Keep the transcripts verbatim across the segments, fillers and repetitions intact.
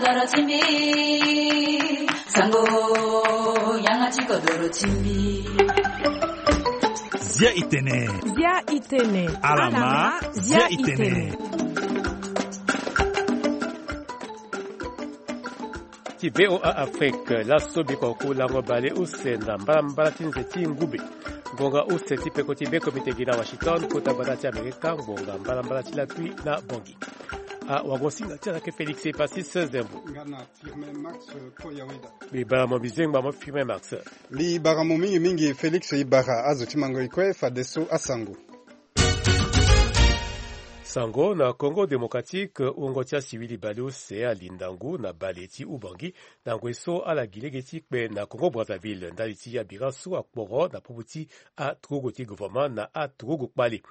Doro ti mbi, sango, yanga ti kodoro ti mbi. Zia itene. Zia itene. Alama, zia itene. Ti V O A Afrique, laso biko ku lango bale use na mbalambala ti nze ti ngube. Ngonga use ti peko ti be komite gi na Washington, kota gbata ti Amerika, ngonga mbalambala ti lakui na Bongi. A wagosinga ti ala ke Félix Epasis Zembo. Nga na Firmin Max Koyaweda. Mbi bara mo bizengba mo Firmin Max. Mbi bara mo mingi mingi Félix, e bara azo ti mango e kue fadeso asango. Sango na Congo Démocratique, wungo ti asiwili baleuse alinda ngu na bale ti Ubangi na ngoi so ala gi lege ti kpe na Congo Brazzaville ndali ti abira so akporo na popo ti aturugu ti gouvernement na aturugu kpale.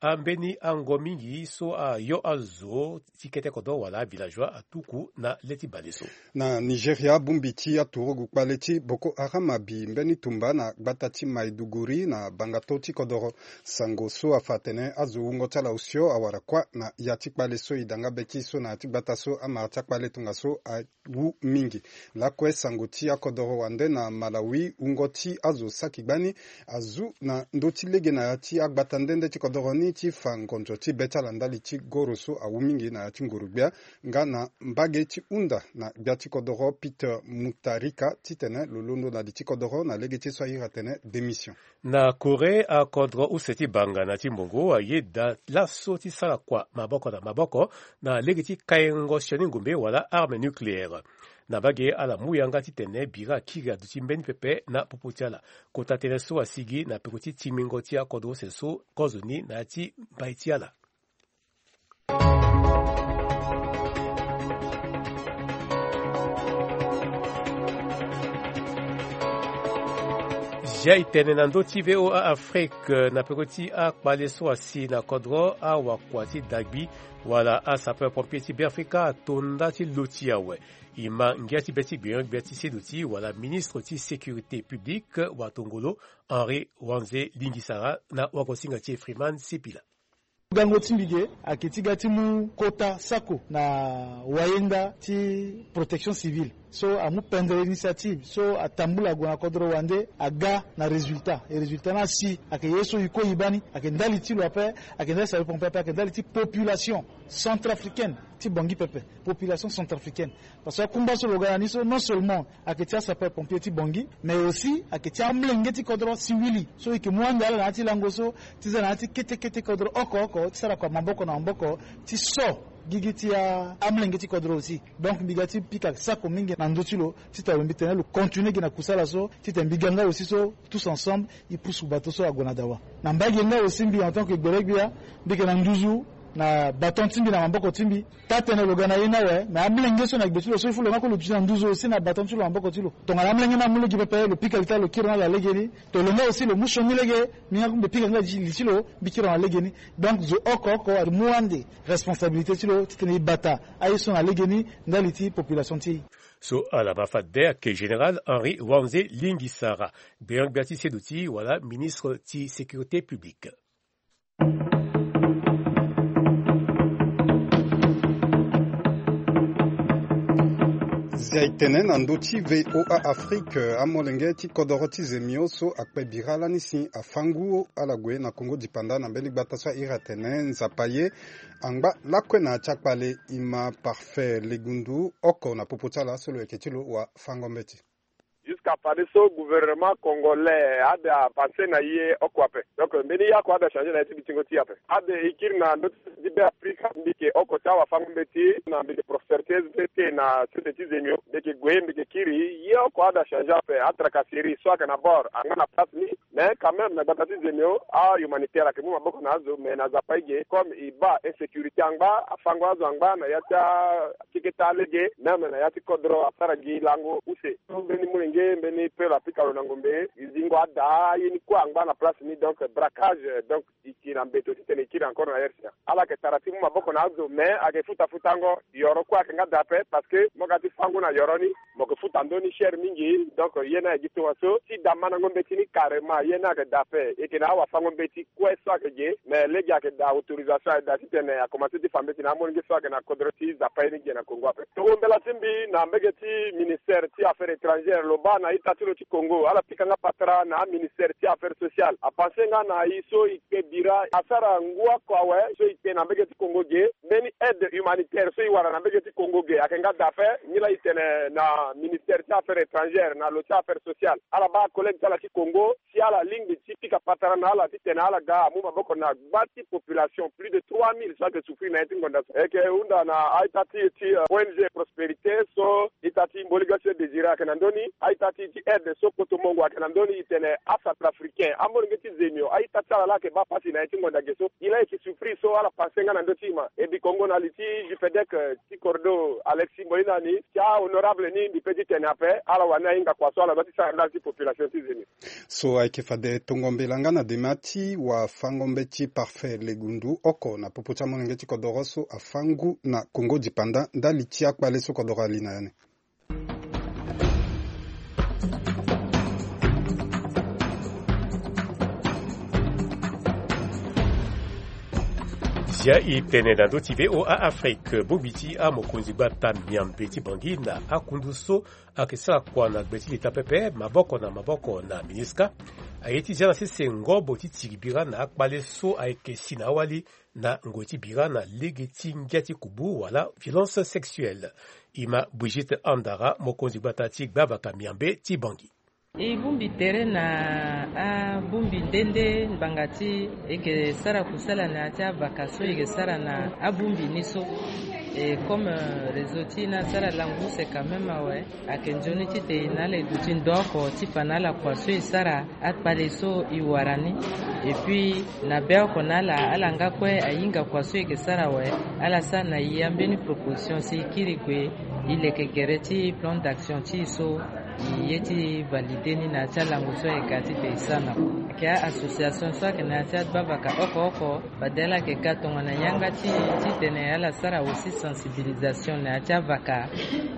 Ambeni ango mingi so ayo azo ti kete kodro wala avillageois atuku na le ti bale so. Na Nigeria, bongbi ti aturugu kpale ti Boko Haram abi mbeni tumba na gbata ti Maiduguri na bangato ti kodoro. Sango so afa atene azo wungo ti ala osio awara kuâ na ya ti kpale so e da nga be ti so na ya ti gbata so amara ti akpale tongaso awu mingi. Lakue sango ti akodoro wande na Malawi, wungo ti azo saki gbani azu na ndö ti lege na ya ti agbata nde nde ti kodoro ni ti fa ngonzo ti be ti ala ndali ti goro so awu mingi na ya ti nguru-gbia. Nga na mbage ti hunda na gbia ti kodoro Peter Mutharika titene lo londo na li ti kodoro na lege ti so ahiri atene démission. Na Corée, akodro use ti banga na ti mbongo ayeda laso ti sara kua maboko na maboko na lege ti kaingo sioni ngombe wala arme nucléaire. Na mbage ala mu yanga titene bira akiri aduti mbeni pepe na popo ti ala. Kota tënë so asigi na peko ti tingbingo ti akodro use so kozoni na ya ti mbai ti ala. Zia itene na ndö ti V O A Afrique, na peko ti akpale so asi na kodro awakua ti dagbi wala asapeur pompier ti Beafrika ato nda ti lo ti awe. E ma ngia ti be ti gbenyo-gbia ti seduti wala ministre ti sécurité publique watongolo Henri Wanze Lingisara na wagosinga ti Freeman Sipila. Gango ti mbi ge ayeke ti ga ti mu kota sako na wayenda ti protection civile so amu pendere initiative so atambula ague na kodro wande aga na résultat. E résultat ni asi ayeke ye so e kue e baa ni ayeke ndali ti lo ape, ayeke ndali ti sapeur pompier ape, ayeke ndali ti population centrafricaine ti Bangui pepe. Population centrafricaine. Parce que akungba so lo ga na ni so non seulement ayeke ti asapeur pompier ti Bangui, mais aussi ayeke ti amolenge ti kodro siwili so e yeke mu ande ala na ya ti lango so ti za na ya ti kete kete kodro oko oko ti sara kua maboko na maboko ti so gigi ti a- amolenge ti kodro aussi. Donc mbi ga ti pika sako mingi na ndö ti lo titene mbi tene lo continuer gi na kusala so titene mbi ga nga aussi so tous ensemble e pusu bato so ague na dawa. Na mbage nga aussi mbi en tant que gbele-gbia mbi yeke na nduzu na baton ti mbi na maboko ti mbi. Taa-tënë lo ga na ye ni awe, me amolenge so na gbe ti lo so il faut lo nga kue lo duti na nduzu aussi na baton ti lo na maboko ti lo. Tongana amolenge ni amu lege pepe lo pika li ti ala lo kiri na ala legeni. To lo nga aussi lo mu sioni lege, mbi nga kue mbi pika nga li ti lo mbi kiri na legeni. Donc zo oko oko amu ande responsabilité ti lo titene e bata aye so na legeni ndali ti population ti e. So ala ma fade ayeke général Henri Wanze Lingisara, gbenyo-gbia ti seduti wala ministre ti sécurité publique. Zia e tene na ndö ti V O A Afrique, amolenge ti kodoro ti Zemio so akpe bira lani si afa ngu ala gue na Congo dipanda na mbeni gbata so ahiri atene Nzapa ye angba lakue na ya ti akpale. E ma Parfait Legundu oko na popo ti ala so lo yeke ti lo wafango mbeti. Jusqu'à fadeso gouvernement congolais ade apanse na ye oko ape. Donc mbeni ye oko ade achangé na ye ti bitingo ti e ape. Ade e kiri na ndö ti Be Afrika, mbi yeke oko ti awafango mbeti na mbi yeke professeur ti S V T na sese ti Zemio, mbi yeke gue mbi yeke kiri ye oko ade achangé ape. Atracasserie so ayeke na bord angba na place ni. Mais quand même na gbata ti Zemio ahumanitaire ayeke mu maboko na azo, mais na Nzapa e ge comme e baa insécurité angba, afango azo angba na ya ti akeketa alege, même na ya ti kodro asara gi lango use. So mbeni molenge mbeni pelo apika lo na ngombe, e zingo ada aye ni kue angba na place ni. Donc braquage, donc e yeke na mbeto titene e kiri encore na R C A. Ala yeke tara ti mu maboko na azo, mais ayeke futa futango. Yoro kue ayeke nga daa ape parce que mo ga ti fango na yoro ni, mo yeke futa ndö ni cher mingi. Donc ye ni aye gi tongaso ti da mandango mbeti ni carrément. Ye ni ayeke daa ape, e yeke na awafango-mbeti kue so ayeke ge, me lege ayeke daa autorisation, ayeke daa titene akomanse ti fa mbeti na amolenge so ayeke na kodro ti Zapaye ni ge na Congo ape. Tongo mbela ti mbi na mbege ti ministère ti affaires étrangères lo baa na ita ti lo ti Congo ala pika nga patara na aministère ti affaires sociales, apanse nga na e so e kpe bira asara ngu oko awe so e kpe na mbege ti Congo ge. Mbeni aide humanitaire so e wara na mbege ti Congo ge ayeke nga daa ape. Nilaa e tene na ministère ti affaires étrangères na lo ti affaires sociales ala baa collègue ti ala ti Congo si ala lingbi ti pika patara na ala titene ala ga amu maboko na gba ti population plus de trois mille so ayeke souffrir na ya ti ngonda so. E yeke hunda na a-ita ti e ti, euh, O N G Prospérité so ita ti Mboli Gasi Désiré ayeke na ndö ni, a-ita ti e ti aide so Koto Mongo ayeke na ndö ni, e tene acentrafricain, amolenge ti Zemio, a-ita ti ala laa ayeke baa pasi na ya ti ngonda ge so. E laa e yeke souffrir so ala panse nga na ndö ti e ma. E bi kongo na li ti Jupedec, euh, ti Cordo Alexis Mboina ni, ti ahonorable ni mbi pe ti tene ape, ala wani ahinga kua so ala doit ti sara ndali ti population ti Zemio. So ayeke fade tongo mbela nga na dema ti wafango-mbeti Parfait Legundu oko na popo ti amolenge ti kodoro so afa ngu na Congo dipanda ndali ti akpale so kodoro ali na ya ni. Zia e tene na ndö ti V O A Afrique, bongbi ti amokonzi gbata miambe ti Bangui na akundu so ayeke sara kua na gbe ti leta pepe maboko na maboko na MINUSCA, aye ti zia na sese ngobo ti tiri bira na akpale so ayeke si na awali na ngoi ti bira na lege ti ngia ti kubu wala violence sexuelle. E ma Brigitte Andara, mokonzi gbata ti gbavaka miambe ti Bangui. E bongbi tere na abongbi nde nde ngbanga ti e yeke sara kusala na ya ti avaka so e yeke sara na abongbi ni so. E comme, euh, réseau ti e ni asara langu use quand même awe, ayeke nzoni titene e na ala e duti ndo oko ti fa na ala kua so e sara akpale so e wara ni. Et puis na be oko na ala, ala nga kue ahinga kua so e yeke sara awe, ala sara na e ambeni proposition si e kiri gue e leke gere ti plan d'action ti e so e ye ti valide ni na ya ti alango so e ga titene e sara na kua. Ayeke a-association so ayeke na ya ti agbavaka oko oko, fade ala yeke ga tongana yanga ti e titene ala sara aussi sensibilisation na ya ti avaka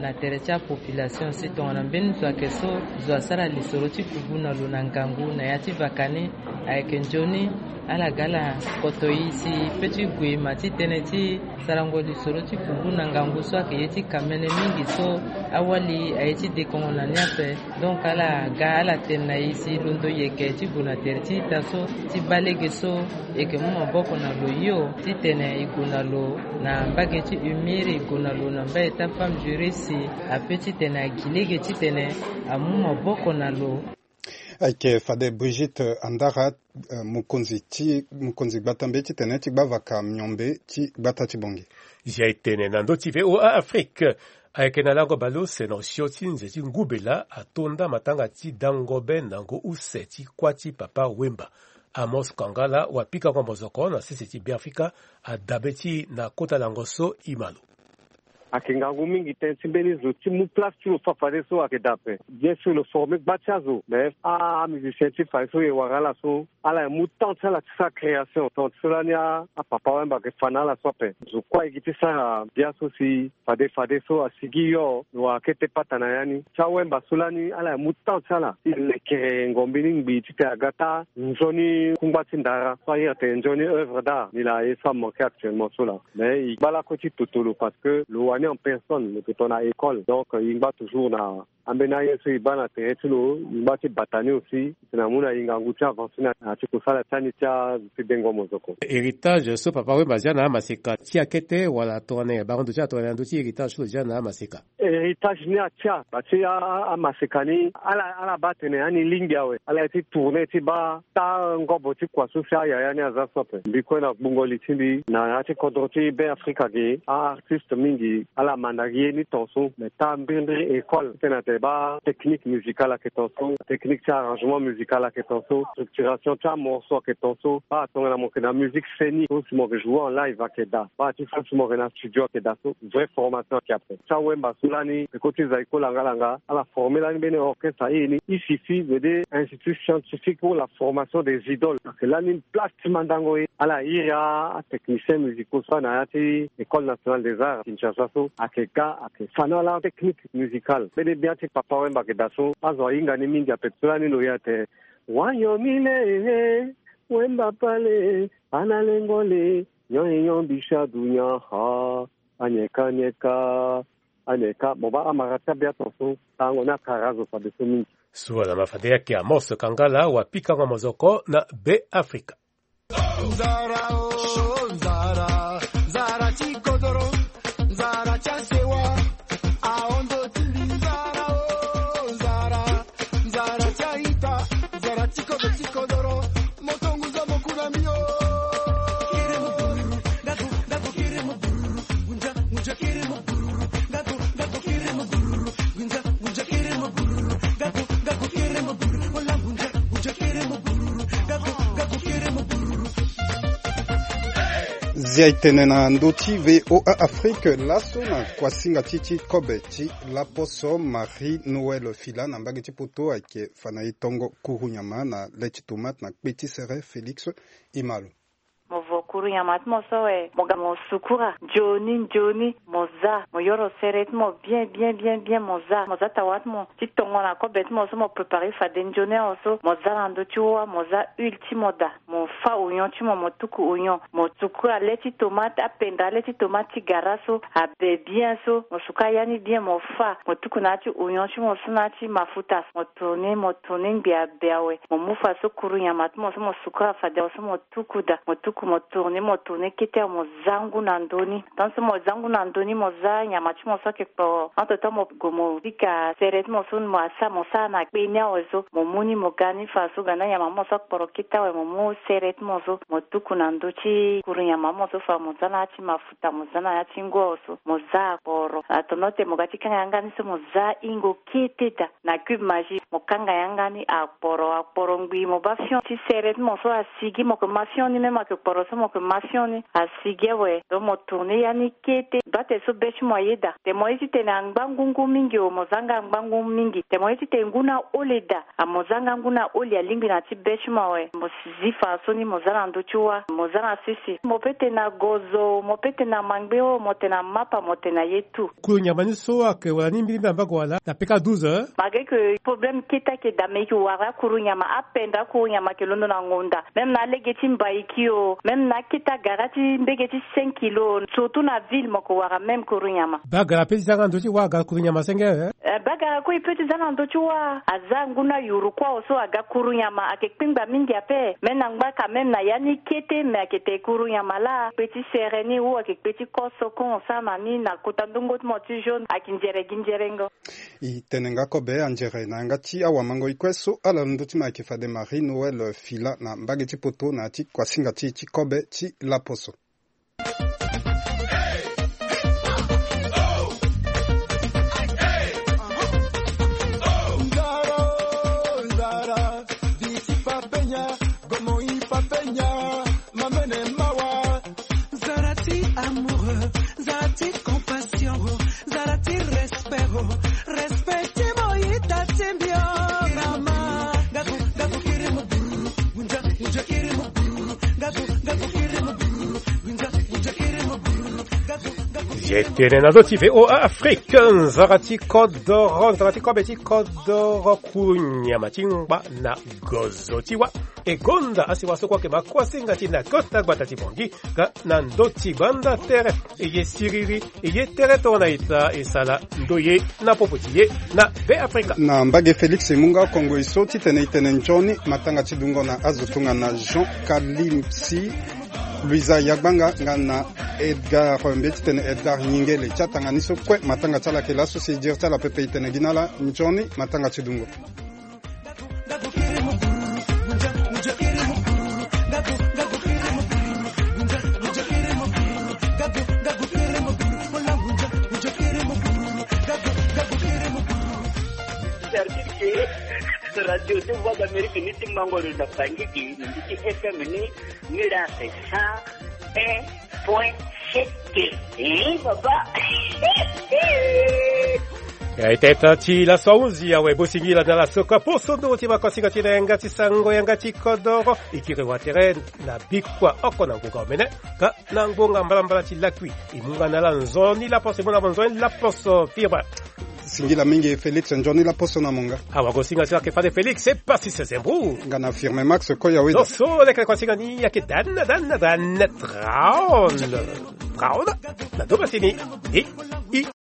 na tere ti apopulation si tongana mbeni zo ayeke so zo asara lisoro ti kubu na lo na ngangu na ya ti vaka ni, ayeke nzoni ala ga ala koto e si pe ti gue ma ti tënë ti sarango lisoro ti kubu na ngangu so ayeke ye ti kamene mingi so awali aye ti dekongo na ni ape. Donc ala ga ala tene na e si londo e yeke ti gue na tere ti ita so ti baa lege so e yeke mu maboko na lo hio titene e gue na lo na mbage ti humir, e gue na lo na mbage ti afemme juriste ape titene agi lege titene amu maboko na lo. Ayeke fade Brigitte Andara, eh, mokonzi ti, mokonzi gbata mbe titene ti gbavaka miombe ti gbata ti Bangui. Zia e tene na ndö ti V O A Afrique. Ayeke na lango bale use na osio ti nze ti ngubela atonda matanga ti dango be nango use ti kuâ ti Papa Wemba. Amos Kangala, wapikango mozoko na sese ti Beafrika, adabe ti e na kota lango so e ma lo. Ayeke ngangu mingi tënë ti mbeni zo ti mu place ti lo so fadeso ayeke daa ape. Bien sûr lo forme gba ti azo, mais amusicien ti fadeso e wara ala so ala e mu temps ti ala ti sara création. Temps ti so lani a, apapa Wemba ayeke fa na ala so ape. Zo kue ayeke ti sara bia so si fade fadeso asigi hio lo wara kete pata na ya ni. Ti awemba so lani ala e mu temps ti ala ti lekere ngombe ni ngbii titene aga taa nzoni kungba ti ndara so ahiri atene nzoni œuvre d'art ni laa aye so amanke actuellement so laa. Mais e ngba lakue ti toto lo parce que lo wani en personne, lo yeke tongana école. Donc e ngba toujours na ambeni aye so e baa na tere ti lo, e ngba ti bata ni aussi. Titene amu na e ngangu ti avancer na ya ti kosala ti ani ti azo ti dengo mozoko. Héritage so papa Wemba azia na amaseka ti akete wala tongana nyen? Bango ndo ti ala tongana nyen na ndö ti héritage so lo zia na amaseka? Héritage ni atia ba ti a, a, amaseka ni ala, ala baa atene ani lingbi awe. Ala ye ti tourner ti baa taa ngobo ti kua so si ayaya ni aza so ape. Mbi kue na gbungo li ti mbi na ya ti kodro ti Beafrika ge, a-artiste mingi ala manda gi ye ni ton so. Mais taa mbirimbiri école titene atene baa technique musicale ayeke ton so, technique ti arrangement musical ayeke ton so, structuration ti amorceau ayeke ton so. Baa tongana mo yeke na musique scénique so si mo yeke jouer en live ayeke daa. Baa ti so si mo yeke na studio ayeke daa so. Vraie formation ayeke ape. Ti awemba so lani peko ti Zaiko Langa Langa ala former lani mbeni orchestre aye ni I S I F I, veut dire Institut Scientifique pour la Formation des Idoles. Ayeke lani place ti mandango ye. Ala iri a, atechnicien musicaux so na ya ti École Nationale des Arts Kinshasa so ayeke ga ayeke fa na ala technique musicale. Mbeni bia ti papa wemba ayeke daa so azo ahinga ni mingi ape. So lani lo ye atene Wanyo mile ehe, wemba pale, ana lengole, nyo enyo bisha dunya ha, anyeka anyeka, anyeka. Mo ba amara tabia ton so, tango na kara zo fade so mingi. Suala ma fade yaki Amos Kangala wa pikango mozoko na Be Afrika. Nzara o nzara, nzara ti kodoro, nzara ti asewa, aondo ti mbi nzara o nzara, nzara ti aita, nzara ti kodo ti kodoro, moto ngunza mo ku na mbi o. Zia e tene na ndö ti V O A Afrique laso na kuasinga ti ti kobe ti laposo Marie Noël Fila na mbage ti poto ayeke fa na e tongo kuru nyama na le ti tomate na kpe ti sere Félix Imalo. Mo vo kuru nyama ti mo so we, mo ga mo sukura nzoni nzoni, mo za, mo yoro sere ti mo bien bien bien bien, mo za, mo za tawa ti mo ti tongo na kobe ti mo so mo prépare fade nzoni awe so, mo za na ndö ti wâ, mo za huile ti mo daa, mo fâ oignon ti mo, mo tuku oignon, mo suku ale ti tomate, apenda ale ti tomate ti gara so abe bien so, mo suku aya ni bien, mo fâ, mo tuku na ya ti oignon ti mo so na ya ti mafuta, mo tourner, mo tourner ngbia be awe, mo mu fa so kuru nyama ti mo so mo sukura fade awe so mo tuku daa, mo tuku, mo tourner, mo tourner kete awe, mo za ngu na ndö ni. Tant so mo za ngu na ndö ni, mo za nyama ti mo so ayeke kporo. Entre temps mo gue mo pika sere ti mo so mo asa, mo sara na kpe ni awe so, mo mu ni mo ga ni fa so ga na nyama mo so akporo kete awe, mo mu sere ti mo so mo tuku na ndö ti kuru nyama mo so fa mo za na ya ti mafuta, mo za na ya ti ngu awe so, mo za akporo. Atono te mo ga ti kanga yanga ni so mo za hingo kete daa. Na cube Maggi mo kanga yanga ni, akporo, akporo ngbii, mo baa fion ti sere ti mo so asigi, mo yeke ma fion ni, même ayeke kporo so mo yeke ma fion ni, asigi awe. Donc mo tourner ya ni kete, baa tere so be ti mo aye daa. Te mo ye ti tene angba ngu ngu mingi o, mo za nga angba ngu mingi. Te mo ye ti tene ngu na ole daa, a mo za nga ngu na ole, alingbi na ti be ti mo awe. Mo zi fa so ni, mo za na ndö ti wâ, mo za na sese. Mo peut tene na gozo, mo peut tene na mangbe o, mo tene na mapa, mo tene na ye tout. Kuru nyama ni so ayeke wara ni mbirimbiri na mbage wala na peka douze heures. Malgré que problème kete ayeke daa, mais e yeke wara akuru nyama, apenda akuru nyama ayeke londo na ngonda. Même na alege ti mbaiki o, même na akete agara ti mbege ti cinq kilos, surtout na ville mo yeke wara même kuru nyama. Bagara peut ti za nga ndö ti wâ aga kuru nyama senge, eh? Eh, bagara kue e peut ti za na ndö ti wâ, aza ngu na yuru kue awe so aga kuru nyama, ayeke kpengba mingi ape. Mais na ngbaka même na ya ni kete, mais ayeke tene kuru nyama laa, kpe ti sere ni ou ayeke kpe ti koso kon, osara na ni na kota ndongo ti mo ti jaune, ayeke nzere gi nzerengo. E tene nga kobe anzere na yanga ti awamango-e kue so ala na ndö ti mo ayeke fade Marie Noël Fila na mbage ti poto na ya ti kuasinga ti e ti kobe ti laposo. Nzara, nzara, bisi papenya, gomo i papenya, mamene mawa. Nzara ti amoureux, nzara ti compassion, nzara ti respect, respect ti mo ita ti mbio, mama. Gaku, gaku kiri mo buru, gunja, gunja kiri mo buru, gaku, gaku kiri mo buru, gunja, gunja kiri mo buru, gaku, gaku. Ye tene na ndö ti V O A Afrique, nzara ti kodoro, nzara ti kobe ti kodoro, kuru nyama ti ngba na gozo ti wâ. E gonda asiwa so kue ayeke ma kuasinga ti e na kota gbata ti Bangui, nga na ndö ti gbanda tere. E ye siriri, e ye tere tongana ita, e sara ndoye na popo ti e na Be Afrika. Na mbage Félix e mu nga kongo e so titene e tene nzoni matanga ti dungo na azo tongana Jean Kalimsi, Luisa Yagbanga nga na Edgar, mbi ye titene Edgar Nyingele. Ti atanga ni so kue matanga ti ala ayeke laso, si e diri ti ala pepe e tene gi na ala nzoni matanga ti dungo. Certitude que Radio de Voix d'Amérique ni ti mango lo na Bangui, ni ti F M ni, ni la c'est cent un point sept. Eh, papa. Ya, e teta ti laso ahunzi awe, bosingila na laso ka poso nduru ti makosinga ti na yanga ti sango, yanga ti kodoro. E kiri watere na bikua oko na ngonga omene, ka na ngonga mbalambala ti lakui. E mu nga na ala nzoni laposo, e mu na mo nzoni laposo fibre. Singila mingi Félix, nzoni laposo na monga. Awa ko singa sila ke fade Félix, c'est pas si c'est un bout. Nga na firme Max koya weda. So so leke ko singa ni yake dan dan dan drown. Drown. Na doba sini. I i